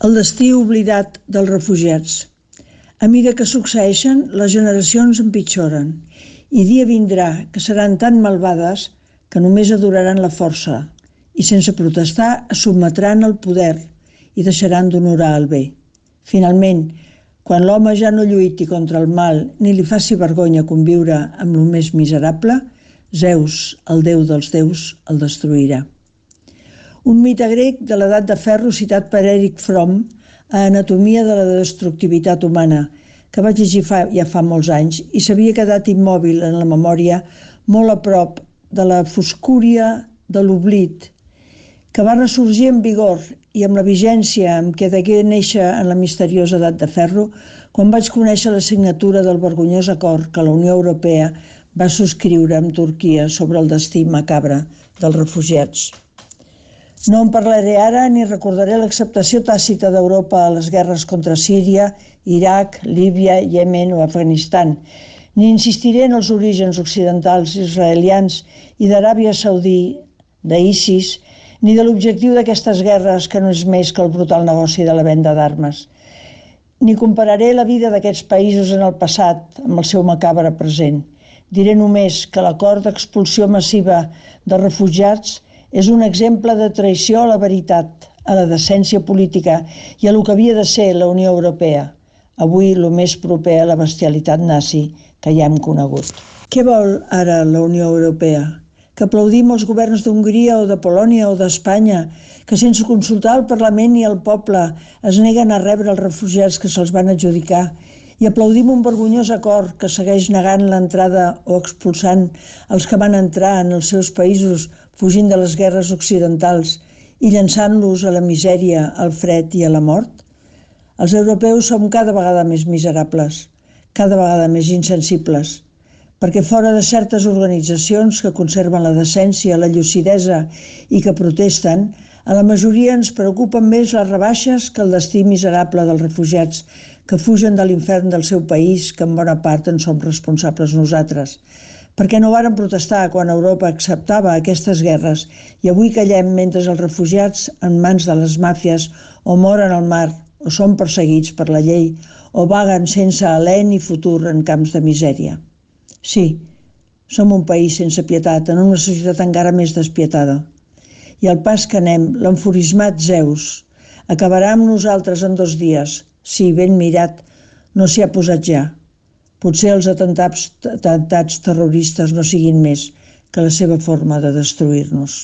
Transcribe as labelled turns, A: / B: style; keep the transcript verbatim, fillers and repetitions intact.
A: El destí oblidat dels refugiats. A mida que succeeixen, les generacions empitjoren, i dia vindrà que seran tan malvades que només adoraran la força i sense protestar es sotmetran al poder i deixaran d'honorar el bé. Finalment, quan l'home ja no lluiti contra el mal ni li faci vergonya conviure amb el més miserable, Zeus, el déu dels déus, el destruirà. Un mite grec de l'edat de ferro citat per Erich Fromm a Anatomia de la destructivitat humana, que vaig llegir fa, ja fa molts anys i s'havia quedat immòbil en la memòria molt a prop de la foscúria de l'oblit, que va ressorgir amb vigor i amb la vigència amb què degué néixer en la misteriosa edat de ferro quan vaig conèixer la signatura del vergonyós acord que la Unió Europea va subscriure amb Turquia sobre el destí macabre dels refugiats. No en parlaré ara ni recordaré l'acceptació tàcita d'Europa a les guerres contra Síria, Iraq, Líbia, Iemen o Afganistan, ni insistiré en els orígens occidentals israelians i d'Aràbia Saudí, d'ISIS, ni de l'objectiu d'aquestes guerres que no és més que el brutal negoci de la venda d'armes. Ni compararé la vida d'aquests països en el passat amb el seu macabre present. Diré només que l'acord d'expulsió massiva de refugiats és un exemple de traïció a la veritat, a la decència política i a lo que havia de ser la Unió Europea, avui el més proper a la bestialitat nazi que ja hem conegut. Què vol ara la Unió Europea? Que aplaudim els governs d'Hongria o de Polònia o d'Espanya, que sense consultar el Parlament i el poble es neguen a rebre els refugiats que se'ls van adjudicar, i aplaudim un vergonyós acord que segueix negant l'entrada o expulsant els que van entrar en els seus països fugint de les guerres occidentals i llançant-los a la misèria, al fred i a la mort? Els europeus som cada vegada més miserables, cada vegada més insensibles, perquè fora de certes organitzacions que conserven la decència, la lucidesa i que protesten, a la majoria ens preocupen més les rebaixes que el destí miserable dels refugiats que fugen de l'infern del seu país, que en bona part en som responsables nosaltres. Perquè no varen protestar quan Europa acceptava aquestes guerres i avui callem mentre els refugiats en mans de les màfies o moren al mar o són perseguits per la llei o vaguen sense alè ni futur en camps de misèria. Sí, som un país sense pietat, en una societat encara més despietada. I al pas que anem, l'enfurismat Zeus acabarà amb nosaltres en dos dies, si ben mirat no s'hi ha posat ja. Potser els atemptats, atemptats terroristes no siguin més que la seva forma de destruir-nos.